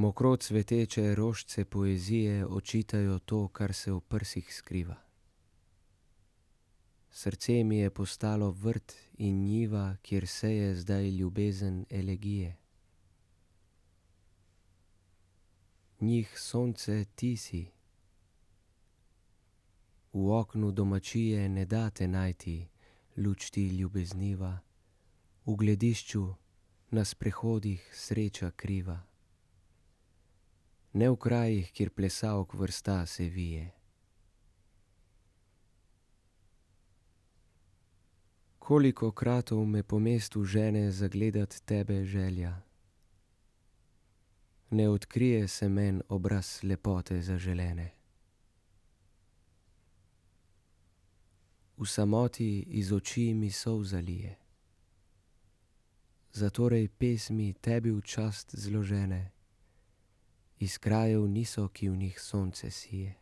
Mokro cveteče rožice poezije očitajo to, kar se v prsih skriva. Srce mi je postalo vrt in njiva, kjer seje zdaj ljubezen elegije. Njih sonce ti si, v oknu domačije ne da te najti, luč ti ljubezniva, v gledišču na sprehodih sreča kriva. Ne v krajih, kjer plesalk vrsta se vije. Kolikokratov me po mestu žene zagledat tebe želja. Ne odkrije se men obraz lepote zaželene. V samoti iz oči mi solza lije. Zatorej pesmi tebi v čast zložene iz krajev niso, ki v njih sonce sije.